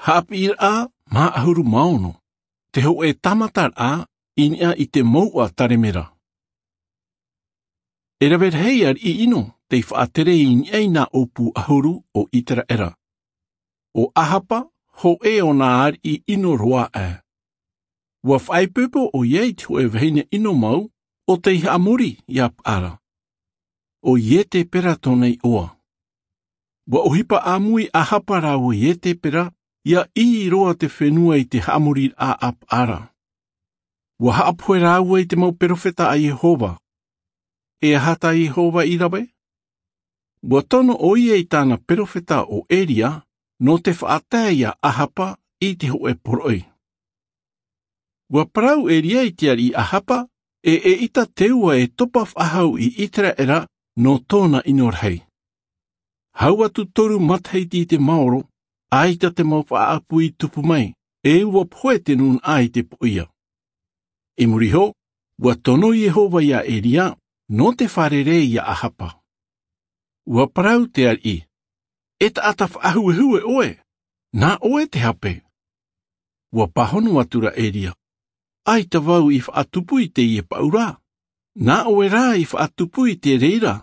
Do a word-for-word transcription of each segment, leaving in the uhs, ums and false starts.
Haʻapiʻiraʻa mā ʻahuru mā ono. Te hōʻē tāmataraʻa i niʻa i te mouʻa taremera. E rave rahi ariʻi ʻino tei faʻatere i niʻa i nā ʻōpū ʻahuru o iteraera. ʻO ahapa, hōʻē o nā ariʻi ʻino roa aʻe. Ua faʻaipoipo ʻo ia i te hōʻē vahine ʻino mau o tei haʻamori iā paʻara. ʻO ietepera tōna iʻoa. Ua ʻohipa ʻāmui ahapa rāua ietepera ia ʻī roa te fenua i te haʻamoriraʻa a paʻara. Ua haʻapohe rāua i te mau perofeta a iehova. E aha tā iehova i rave? Ua tono ʻo ia i tāna perofeta o eria nō te faʻatae iā ahapa i te hōʻē poroʻi. Ua parau eria i te ariʻi ahapa e ʻeʻita te ua e topa faʻahou i iteraera nō tōna ʻino rahi. Hau atu toru matahiti i te maoro, ʻaita te mau faʻaʻapu i tupu mai, e ua pohe te nūnaʻa i te poʻia. I muri iho, ua tono iehova iā eria nō te fārerei iā ahapa. Ua parau te ariʻi, e taʻata faʻahuehue ʻoe, nā ʻoe te hape. Ua pāhono atu ra eria, ʻaita vau i faʻatupu i teie paʻura. Nā ʻoe rā i faʻatupu i te reira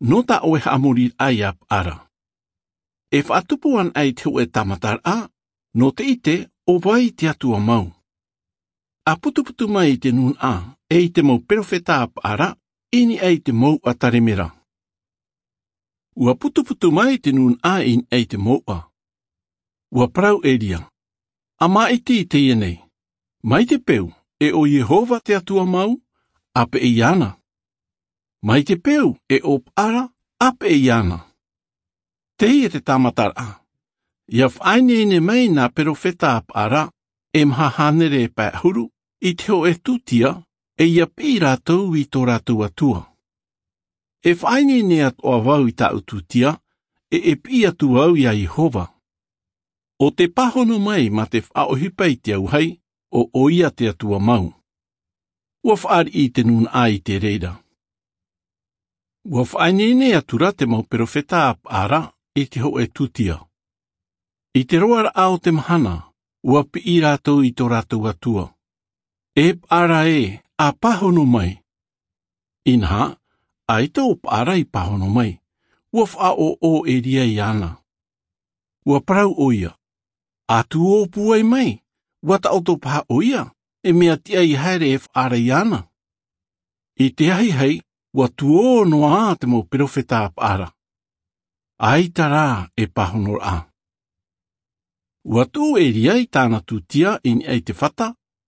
nō tā ʻoe haʻamoriraʻa iā paʻara. E faʻatupu ana i te hōʻē tāmataraʻa nō te ʻite ʻo vai te atua mau. A putuputu mai i te nūnaʻa e i te mau perofeta a paʻara i niʻa i te mouʻa taremera. Ua putuputu mai te nūnaʻa i niʻa i te mouʻa. Ua parau eria, a māʻiti i teie nei, mai te peu e ʻo iehova te atua mau, a peʻe iāna. Mai te peu e ʻo paʻara, a peʻe iāna. Teie te tāmataraʻa. Ia faʻaineine mai nā perofeta a paʻara e maha hānere e pae ʻahuru i te hōʻē tūtia, e ia piʻi rātou i tō rātou atua. E faʻaineine atoʻa vau i tāʻu tūtia, e e piʻi atu au iā iehova. ʻO te pāhono mai mā te faʻaʻohipa i te auahi ʻo ʻoia te atua mau. Ua faʻariʻi i te nūnaʻa i te reira. Ua faʻaineine atu ra te mau perofeta a paʻara i te hōʻē tūtia. I te roaraʻa o te mahana ua piʻi rātou i tō rātou atua, e paʻara ē, a pāhono mai. Inaha, ʻaita ʻo paʻara i pāhono mai. Ua faʻaʻoʻo eria iāna. Ua parau ʻo ia, a tuō pūai mai. Ua taʻoto paha ʻo ia e mea tiʻa i haere e faʻaara iāna. I te ahiahi, ua tuō noa te mau perofeta a paʻara. ʻAita rā e pāhonoraʻa. Ua tuʻu eria i tāna tūtia i niʻa i te fata,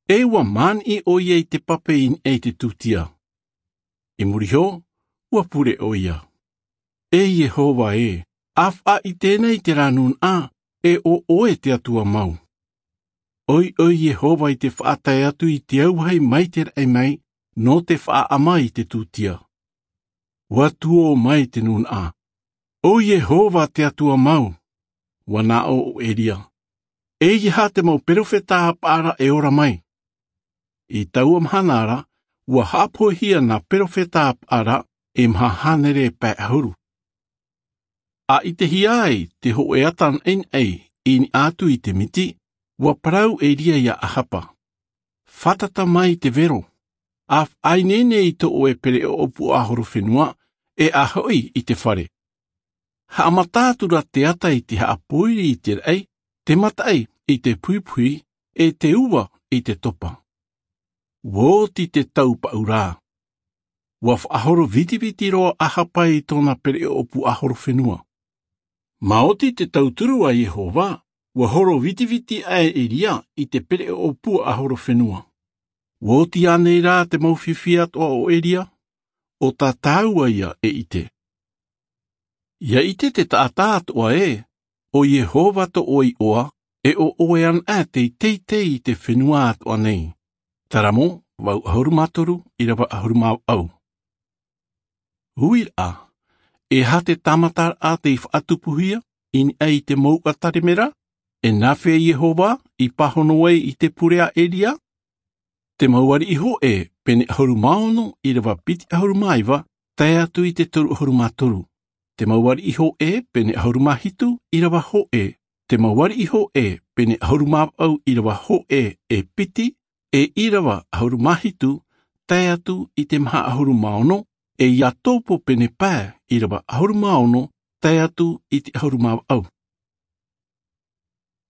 e ua māniʻi ʻo ia i te pape i niʻa i te tūtia. I muri iho, ua pure ʻo ia, e iehova ē, a faʻaʻite nei te rā nūnaʻa e ʻo ʻoe te atua mau. ʻOiʻoi iehova i te faʻatae atu i te auahi mai te raʻi mai nō te faʻaʻama i te tūtia. Ua tuō mai te nūnaʻa, o iehova te atua mau. Ua nā ʻō ʻo eria, e ia aha te mau perofeta a paʻara e ora mai? I taua mahana ra, ua haʻapohehia nā perofeta a paʻara e maha hānere e pae ʻahuru. A ʻitehia ai te hōʻē ata naʻinaʻi i niʻa atu i te miti, ua parau eria iā ahapa, fātata mai te vero, a faʻaineine i tō ʻoe pereʻoʻo puaʻahorofenua, e a hoʻi i te fare. Haʻamata atu ra te ata i te haʻapōiri i te raʻi, te mataʻi i te puipui, e te ua i te topa. Ua oti te tau paʻura. Ua faʻahoro vitiviti roa ahapa i tōna pereʻoʻo puaʻahorofenua. Maoti te tauturu a iehova, ua horo vitiviti aʻe eria i te pereʻoʻo puaʻahorofenua. Ua oti ānei rā te mau fifi atoʻa o eria? ʻO tā tāua ia e ʻite. Ia ʻite te taʻata atoʻa ē, o iehova tō ʻoe iʻoa, e ʻo ʻoe ana ʻā tei teitei i te fenua atoʻa nei. Taramo, vaʻu ʻahuru mā toru, ʻirava ʻahuru mā vaʻu. Uiraʻa, e aha te tāmataraʻa tei faʻatupuhia i niʻa i te mouʻa taremera? E nāfea iehova i pāhono ai i te pure a eria? Te mau ariʻi hōʻē pene ʻahuru mā ono, ʻirava piti ʻahuru mā iva, tae atu i te toru ʻahuru mā toru. Te mau ariʻi hōʻē pene ʻahuru mā hitu, ʻirava hōʻē, Te mau ariʻi hōʻē pene ʻahuru mā vaʻu ʻīrava hōʻē e piti, e ʻīrava ʻahuru mā hitu tae atu i te maha ʻahuru mā ono, e ia tōpō pene pae ʻīrava ʻahuru mā ono tae atu i te ʻahuru mā vaʻu.